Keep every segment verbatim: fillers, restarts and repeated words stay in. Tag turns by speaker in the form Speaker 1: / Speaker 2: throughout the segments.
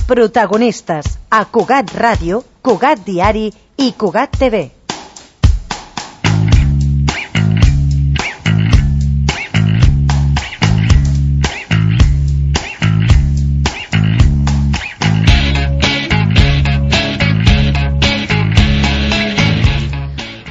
Speaker 1: Protagonistes a Cugat Ràdio, Cugat Diari i Cugat T V.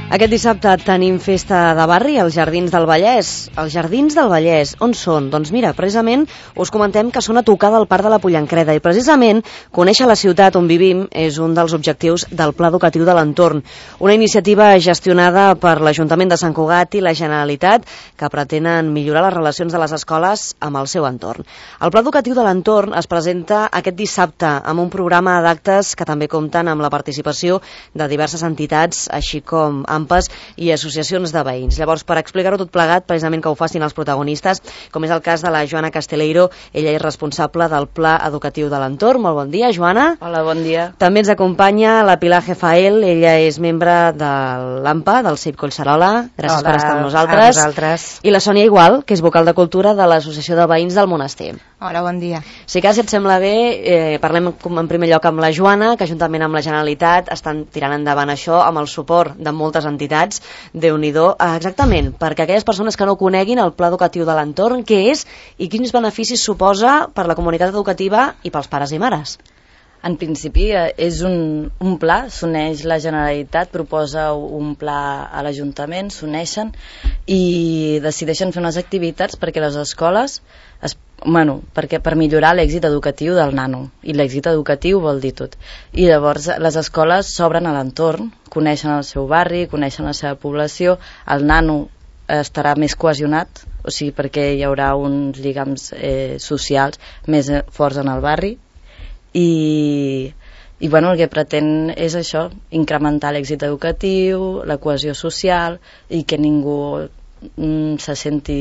Speaker 2: Aquest dissabte tenim festa de barri als Jardins del Vallès. Els Jardins del Vallès, on són? Doncs mira, precisament us comentem que són a tocar del Parc de la Pollancreda i precisament conèixer la ciutat on vivim és un dels objectius del Pla Educatiu de l'Entorn, una iniciativa gestionada per l'Ajuntament de Sant Cugat i la Generalitat que pretenen millorar les relacions de les escoles amb el seu entorn. El Pla Educatiu de l'Entorn es presenta aquest dissabte amb un programa d'actes que també compten amb la participació de diverses entitats, així com A M P Es i associacions de veïns. Llavors, per explicar-ho tot plegat, precisament que ho facin els protagonistes, com és el cas de la Joana Casteleiro, ella és responsable del Pla Educatiu de l'Entorn. Molt bon dia, Joana.
Speaker 3: Hola, bon dia.
Speaker 2: També ens acompanya la Pilar Jefael, ella és membre de l'A M P A, del C I P Collserola. Gràcies
Speaker 3: Hola,
Speaker 2: per estar amb nosaltres.
Speaker 3: a vosaltres.
Speaker 2: I la Sònia Igual, que és vocal de Cultura de l'Associació de Veïns del Monestir.
Speaker 3: Hola, bon dia.
Speaker 2: Si cas, si et sembla bé, eh, parlem en primer lloc amb la Joana, que juntament amb la Generalitat estan tirant endavant això amb el suport de moltes entitats. Déu-n'hi-do. Ah, exactament, perquè aquelles persones que no coneguin el Pla Educatiu de l'Entorn, què és i quins beneficis suposa per la comunitat educativa i pels pares i mares.
Speaker 3: En principi és un, un pla, s'uneix la Generalitat, proposa un pla a l'Ajuntament, s'uneixen i decideixen fer unes activitats perquè les escoles, es, bueno, perquè per millorar l'èxit educatiu del nano, i l'èxit educatiu vol dir tot. I llavors les escoles s'obren a l'entorn, coneixen el seu barri, coneixen la seva població, el nano estarà més cohesionat, o sigui, perquè hi haurà uns lligams eh, socials més forts en el barri, i, i bueno, el que pretén és això, incrementar l'èxit educatiu, la cohesió social i que ningú mm, se senti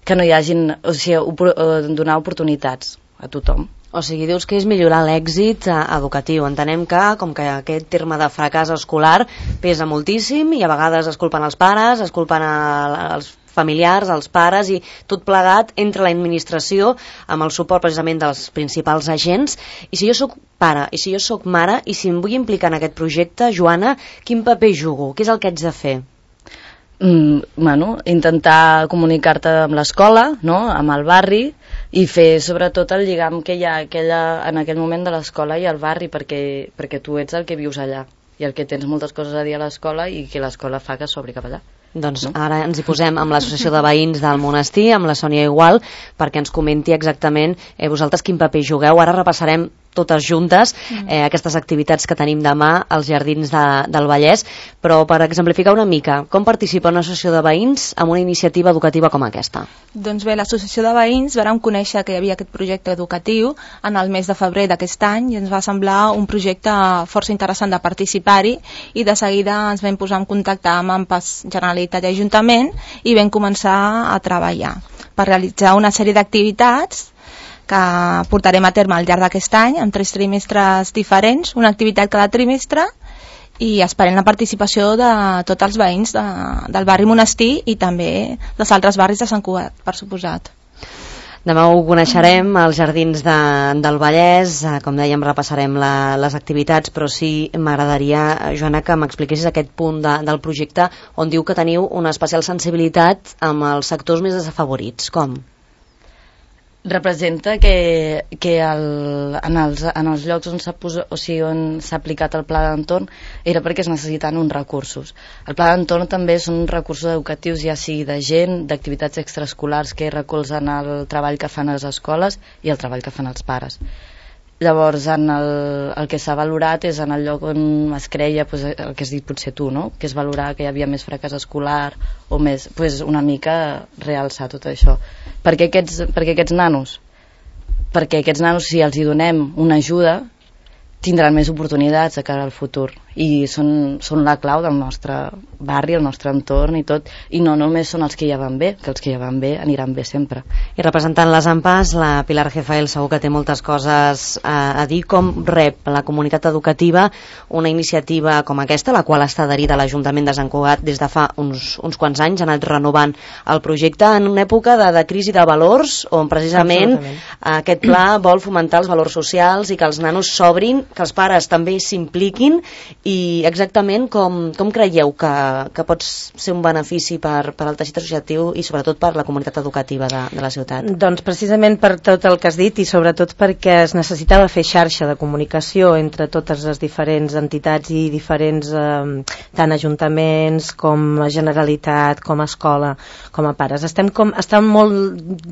Speaker 3: que no hi hagin, o sigui, opor donar oportunitats a tothom.
Speaker 2: O sigui, dius que és millorar l'èxit eh, educatiu. Entenem que, com que aquest terme de fracàs escolar pesa moltíssim i a vegades es culpen els pares, es culpen a, els familiars, els pares, i tot plegat entre l'administració amb el suport precisament dels principals agents. I si jo sóc pare, i si jo sóc mare, i si em vull implicar en aquest projecte, Joana, quin paper jugo? Què és el que haig de fer?
Speaker 3: Mm, bueno, intentar comunicar-te amb l'escola, no?, amb el barri, i fer sobretot el lligam que hi ha aquella, en aquell moment de l'escola i el barri, perquè, perquè tu ets el que vius allà i el que tens moltes coses a dir a l'escola i que l'escola fa que s'obri cap allà.
Speaker 2: Doncs ara ens hi posem amb l'Associació de Veïns del Monestir, amb la Sònia Igual, perquè ens comenti exactament eh, vosaltres quin paper jugueu. Ara repassarem totes juntes eh, aquestes activitats que tenim demà als Jardins de, del Vallès, però per exemplificar una mica, com participa una associació de veïns en una iniciativa educativa com aquesta?
Speaker 4: Doncs bé, l'associació de veïns vàrem conèixer que hi havia aquest projecte educatiu en el mes de febrer d'aquest any i ens va semblar un projecte força interessant de participar-hi, i de seguida ens vam posar en contacte amb A M P Es, Generalitat i Ajuntament, i vam començar a treballar per realitzar una sèrie d'activitats que portarem a terme al llarg d'aquest any, en tres trimestres diferents, una activitat cada trimestre, i esperem la participació de tots els veïns de, del barri Monestir i també dels altres barris de Sant Cugat, per suposat.
Speaker 2: Demà ho coneixerem als Jardins de, del Vallès, com dèiem repassarem la, les activitats, però sí m'agradaria, Joana, que m'expliquessis aquest punt de, del projecte on diu que teniu una especial sensibilitat amb els sectors més desafavorits. Com?
Speaker 3: Representa que, que el, en, els, en els llocs on s'ha o sigui, on s'ha aplicat el pla d'entorn era perquè es necessiten uns recursos. El pla d'entorn també són recursos educatius, ja sigui de gent, d'activitats extraescolars que recolzen el treball que fan les escoles i el treball que fan els pares. Llavors, en el, el que s'ha valorat és en el lloc on es creia, pues, el que has dit potser tu, no?, que es valorar que hi havia més fracàs escolar o més, pues, una mica realçar tot això. Per què aquests, per què aquests nanos? Perquè aquests nanos, si els hi donem una ajuda, tindran més oportunitats de cara al futur. i són, són la clau del nostre barri, el nostre entorn i tot, i no només són els que ja van bé, que els que ja van bé aniran bé sempre.
Speaker 2: I representant les AMPAs, la Pilar Gefael segur que té moltes coses a, a dir. Com rep la comunitat educativa una iniciativa com aquesta, la qual està adherida a l'Ajuntament de Sant Cugat des de fa uns, uns quants anys, ha anat renovant el projecte en una època de, de crisi de valors, on precisament aquest pla vol fomentar els valors socials i que els nanos s'obrin, que els pares també s'impliquin, i exactament com, com creieu que, que pot ser un benefici per, per al teixit associatiu i sobretot per la comunitat educativa de, de la ciutat?
Speaker 5: Doncs precisament per tot el que has dit i sobretot perquè es necessitava fer xarxa de comunicació entre totes les diferents entitats i diferents eh, tant ajuntaments com a Generalitat, com a escola, com a pares. Estem, com, estem molt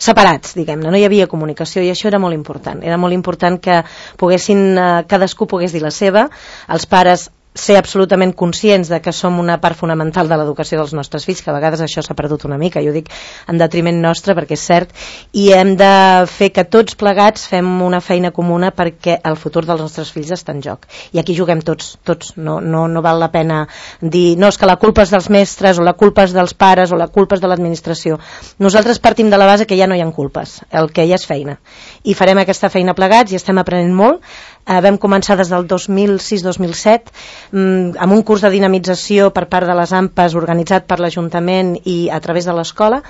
Speaker 5: separats, diguem-ne, no hi havia comunicació i això era molt important. Era molt important que poguessin, eh, cadascú pogués dir la seva, els pares ser absolutament conscients de que som una part fonamental de l'educació dels nostres fills, que a vegades això s'ha perdut una mica, jo dic en detriment nostre perquè és cert, i hem de fer que tots plegats fem una feina comuna perquè el futur dels nostres fills està en joc, i aquí juguem tots, tots, no, no, no val la pena dir, no, és que la culpa és dels mestres o la culpa és dels pares o la culpa és de l'administració. Nosaltres partim de la base que ja no hi ha culpes, el que hi ha és feina, i farem aquesta feina plegats i estem aprenent molt. Eh, vam començar des del dos mil sis dos mil set mm, amb un curs de dinamització per part de les AMPAs organitzat per l'Ajuntament i a través de l'escola,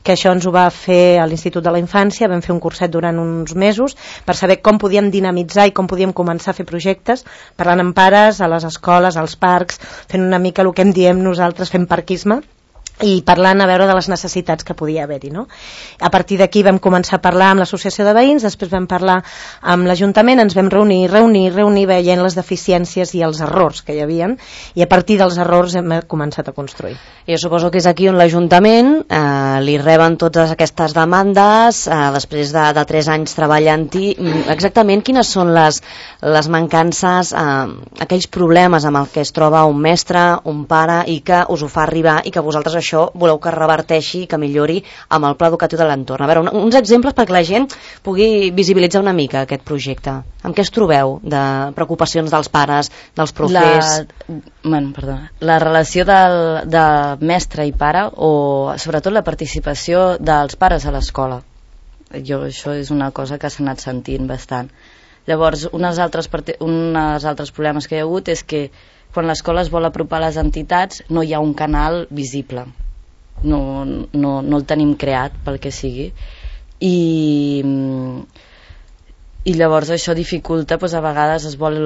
Speaker 5: que això ens ho va fer a l'Institut de la Infància. Vam fer un curset durant uns mesos per saber com podíem dinamitzar i com podíem començar a fer projectes, parlant amb pares, a les escoles, als parcs, fent una mica el que en diem nosaltres, fent parquisme, i parlant a veure de les necessitats que podia haver-hi, no? A partir d'aquí vam començar a parlar amb l'associació de veïns, després vam parlar amb l'Ajuntament, ens vam reunir, reunir, reunir, veient les deficiències i els errors que hi havien, i a partir dels errors hem començat a construir.
Speaker 2: Jo suposo que és aquí on l'Ajuntament eh, li reben totes aquestes demandes, eh, després de, de tres anys treballant-hi. Exactament quines són les, les mancances, eh, aquells problemes amb el que es troba un mestre, un pare, i que us ho fa arribar i que vosaltres això voleu que reverteixi i que millori amb el pla educatiu de l'entorn. A veure, un, uns exemples perquè la gent pugui visibilitzar una mica aquest projecte. Amb què es trobeu de preocupacions dels pares, dels profes?
Speaker 3: La, bueno, perdona, la relació del, de mestre i pare, o sobretot la participació dels pares a l'escola. Jo, això és una cosa que s'ha anat sentint bastant. Llavors, uns altres, uns altres problemes que hi ha hagut és que quan l'escola es vol apropar a les entitats no hi ha un canal visible, no, no, no el tenim creat pel que sigui, i, i llavors això dificulta, doncs a vegades es vol,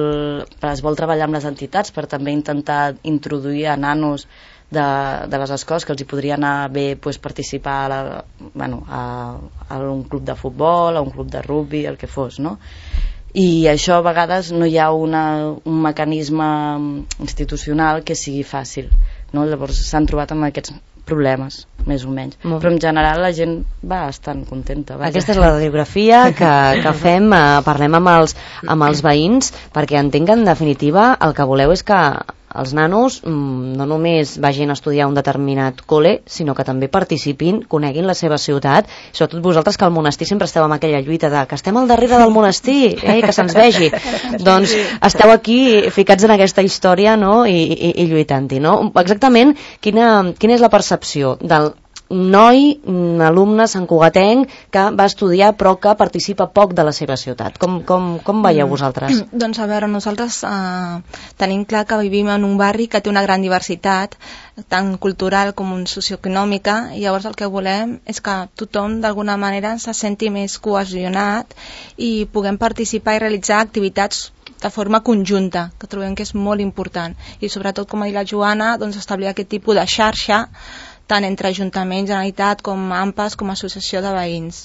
Speaker 3: es vol treballar amb les entitats per també intentar introduir a nanos de, de les escoles que els hi podria anar bé, doncs, participar a, la, bueno, a, a un club de futbol, a un club de rugby, el que fos, no? I això a vegades no hi ha una, un mecanisme institucional que sigui fàcil, no? Llavors s'han trobat amb aquests problemes, més o menys. Molt. Però en general la gent va bastant contenta. Vaja.
Speaker 2: Aquesta és la radiografia que, que fem, eh, parlem amb els, amb els veïns, perquè entenc que en definitiva el que voleu és que els nanos no només vagin a estudiar un determinat col·le, sinó que també participin, coneguin la seva ciutat, sobretot vosaltres que al monestir sempre esteu amb aquella lluita de que estem al darrere del monestir, eh, que se'ns vegi. Doncs esteu aquí ficats en aquesta història, no? I, i, i lluitant-hi, no? Exactament quina, quina és la percepció del noi, alumne santcugatenc que va estudiar però que participa poc de la seva ciutat? Com, com, com veieu vosaltres?
Speaker 4: Mm, doncs a veure, nosaltres eh, tenim clar que vivim en un barri que té una gran diversitat, tant cultural com socioeconòmica, i llavors el que volem és que tothom d'alguna manera se senti més cohesionat i puguem participar i realitzar activitats de forma conjunta, que trobem que és molt important, i sobretot, com ha dit la Joana, doncs establir aquest tipus de xarxa tant entre Ajuntament, Generalitat, com AMPAs, com Associació de Veïns,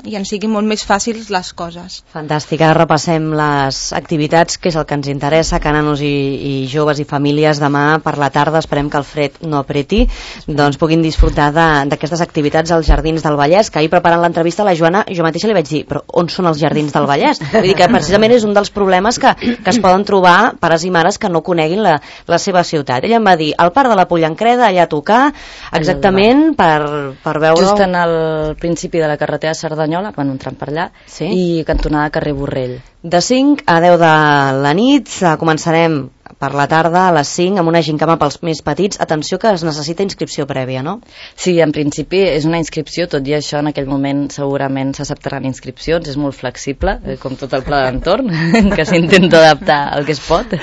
Speaker 4: i ens siguin molt més fàcils les coses.
Speaker 2: Fantàstic, ara repassem les activitats, que és el que ens interessa, que nanos i, i joves i famílies demà per la tarda, esperem que el fred no apreti, doncs puguin disfrutar d'aquestes activitats als Jardins del Vallès, que ahir preparant l'entrevista a la Joana jo mateixa li vaig dir, però on són els Jardins del Vallès? Vull dir que precisament és un dels problemes que, que es poden trobar pares i mares que no coneguin la, la seva ciutat. Ella em va dir, al Parc de la Pollancreda, allà a tocar, exactament per, per veure...
Speaker 3: Just en el principi de la carretera Cerdanyola, quan entrant per allà, sí? I cantonada carrer Borrell.
Speaker 2: De cinc a deu de la nit començarem per la tarda a les cinc amb una gincama pels més petits. Atenció que es necessita inscripció prèvia, no?
Speaker 3: Sí, en principi és una inscripció, tot i això en aquell moment segurament s'acceptaran inscripcions, és molt flexible, com tot el pla d'entorn, que s'intenta adaptar al que es pot.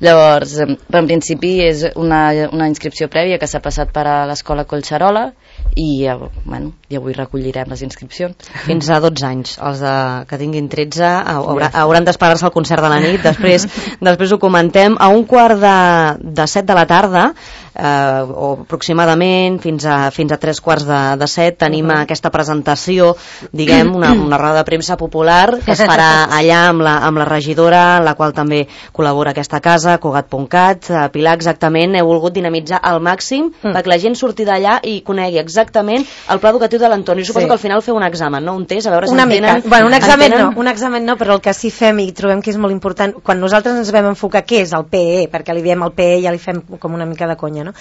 Speaker 3: Llavors, però en principi és una, una inscripció prèvia que s'ha passat per a l'escola Collserola i, bueno, i avui recollirem les inscripcions.
Speaker 2: Fins a dotze anys. Els de, que tinguin tretze haurà, hauran d'esperar-se al concert de la nit. Després, després ho comentem. A un quart de, de set de la tarda, eh, o aproximadament fins a, fins a tres quarts de, de set, tenim uh -huh. aquesta presentació, diguem, una, una roda de premsa popular que es farà allà amb la, amb la regidora, en la qual també col·labora aquesta casa, Cugat punt cat. eh, Pilar, exactament, heu volgut dinamitzar al màxim mm. perquè la gent surti d'allà i conegui exactament el pla educatiu de l'entorn. I suposo sí. que al final feu un examen, no? Un test, a veure si
Speaker 5: una
Speaker 2: entenen...
Speaker 5: mica. Bueno, un examen entenen... no, un examen no, però el que sí fem i trobem que és molt important, quan nosaltres ens vam enfocar què és el P E E, perquè li diem el P E E, ja li fem com una mica de conya, no?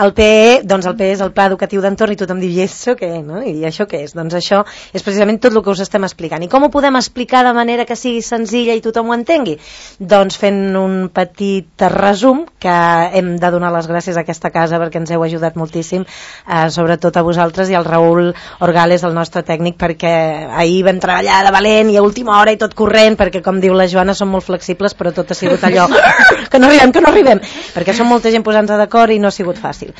Speaker 5: El P E E, doncs el P E E és el Pla Educatiu d'Entorn i tothom diu, i això què, no? I això què és? Doncs això és precisament tot el que us estem explicant. I com ho podem explicar de manera que sigui senzilla i tothom ho entengui? Doncs fent un petit resum, que hem de donar les gràcies a aquesta casa perquè ens heu ajudat moltíssim, eh, sobretot a vosaltres i al Raül Orgales, el nostre tècnic, perquè ahir vam treballar de valent i a última hora i tot corrent, perquè com diu la Joana som molt flexibles, però tot ha sigut allò que no arribem, que no arribem, perquè som molta gent posant-se d'acord i no ha sigut fàcil.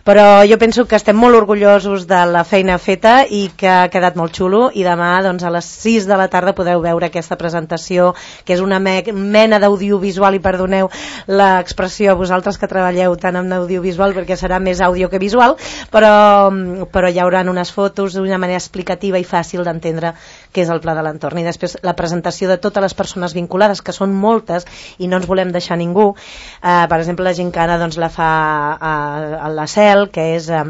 Speaker 5: Però jo penso que estem molt orgullosos de la feina feta i que ha quedat molt xulo, i demà doncs, a les sis de la tarda podeu veure aquesta presentació, que és una me mena d'audiovisual, i perdoneu l'expressió a vosaltres que treballeu tant amb audiovisual, perquè serà més àudio que visual, però, però hi haurà unes fotos d'una manera explicativa i fàcil d'entendre què és el Pla de l'Entorn. I després la presentació de totes les persones vinculades, que són moltes i no ens volem deixar ningú. Eh, per exemple, la gincana doncs, la fa a, a la Cel, que és... Eh,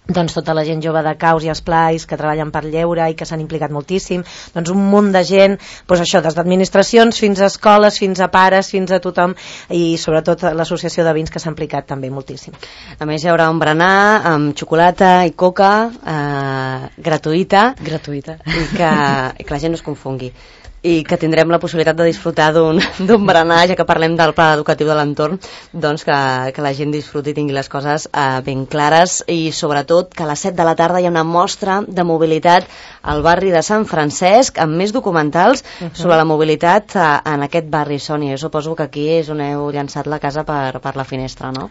Speaker 5: doncs tota la gent jove de Caus i Esplais que treballen per lleure i que s'han implicat moltíssim, doncs un munt de gent, doncs això, des d'administracions fins a escoles, fins a pares, fins a tothom, i sobretot l'associació de veïns que s'ha implicat també moltíssim.
Speaker 2: A més hi haurà un berenar amb xocolata i coca eh, gratuïta,
Speaker 3: gratuïta
Speaker 2: i que, i que la gent no es confongui, i que tindrem la possibilitat de disfrutar d'un berenar, ja que parlem del pla educatiu de l'entorn, doncs que, que la gent disfruti i tingui les coses eh, ben clares, i sobretot que a les set de la tarda hi ha una mostra de mobilitat al barri de Sant Francesc amb més documentals uh -huh. sobre la mobilitat eh, en aquest barri. Sònia, jo suposo que aquí és on heu llançat la casa per, per la finestra, no?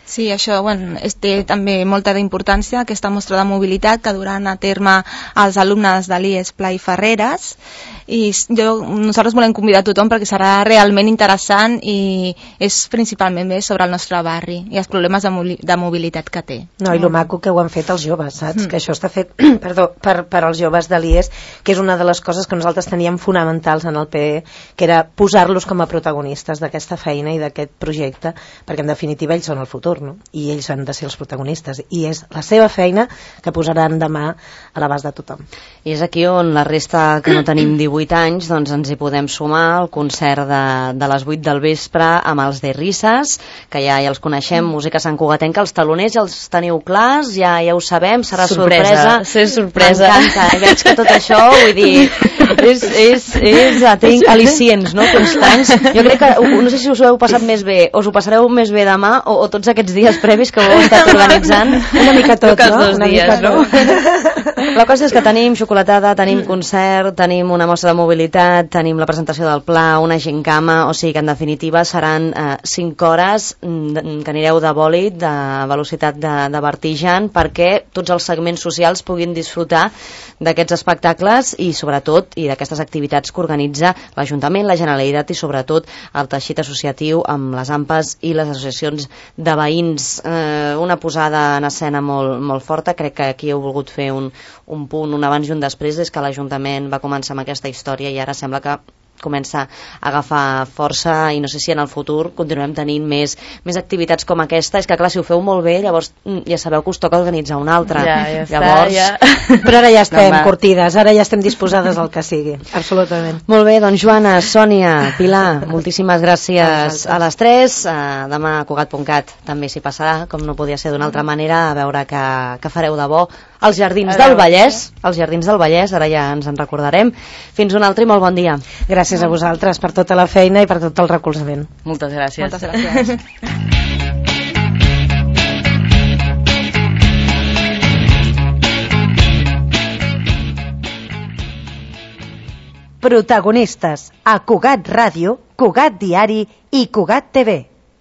Speaker 4: Sí, això bueno, té també molta d'importància, aquesta mostra de mobilitat que duran a terme els alumnes de l'I E S Pla i Ferreres, i jo, nosaltres volem convidar a tothom perquè serà realment interessant i és principalment bé sobre el nostre barri i els problemes de, de mobilitat que té.
Speaker 5: No, i lo maco que ho han fet els joves, saps? Mm. Que això està fet perdó, per, per als joves de l'I E S, que és una de les coses que nosaltres teníem fonamentals en el P E E, que era posar-los com a protagonistes d'aquesta feina i d'aquest projecte, perquè en definitiva ells són el futur, no? I ells han de ser els protagonistes, i és la seva feina que posaran demà a l'abast de tothom.
Speaker 2: I és aquí on la resta que no tenim divuit anys, doncs ens hi podem sumar al concert de, de les vuit del vespre amb els de Risses, que ja, ja els coneixem, mm. música santcugatenca, els taloners ja els teniu clars, ja, ja ho sabem, serà sorpresa.
Speaker 3: Sorpresa, sorpresa.
Speaker 2: M'encanta, eh? Veig que tot això, vull dir, és, és, és tinc al·licients, no?, constants. Jo crec que, no sé si us ho heu passat més bé, us ho passareu més bé demà, o, o tots aquests dies previs que ho heu estat organitzant.
Speaker 5: Una mica tot, no?
Speaker 3: Dos
Speaker 5: Una
Speaker 3: dies,
Speaker 5: mica
Speaker 3: no?
Speaker 2: La cosa és que tenim xocolatada, tenim concert, tenim una mostra de mobilitat, tenim la presentació del pla, una gincama, o sigui que en definitiva seran eh, cinc hores que anireu de bòlit, de velocitat de, de vertigen, perquè tots els segments socials puguin disfrutar d'aquests espectacles i sobretot i d'aquestes activitats que organitza l'Ajuntament, la Generalitat i sobretot el teixit associatiu amb les A M P Es i les associacions de veïns. Eh, una posada en escena molt, molt forta. Crec que aquí heu volgut fer un, un punt, un abans i un després, des que l'Ajuntament va començar amb aquesta història i ara sembla que comença a agafar força, i no sé si en el futur continuem tenint més, més activitats com aquesta. És que clar, si ho feu molt bé, llavors ja sabeu que us toca organitzar una altra.
Speaker 3: Ja, ja
Speaker 2: llavors...
Speaker 3: està, ja.
Speaker 5: Però ara ja estem no, curtides, ara ja estem disposades al que sigui, absolutament.
Speaker 2: Molt bé, doncs Joana, Sònia, Pilar, moltíssimes gràcies a les tres. Uh, demà a Cugat punt cat també s'hi passarà, com no podia ser d'una altra manera, a veure que, que fareu de bo Els Jardins del Vallès, els Jardins del Vallès, ara ja ens en recordarem. Fins un altre i molt bon dia.
Speaker 5: Gràcies a vosaltres per tota la feina i per tot el recolzament.
Speaker 3: Moltes gràcies.
Speaker 4: Moltes gràcies.
Speaker 1: Protagonistes a Cugat Ràdio, Cugat Diari i Cugat T V.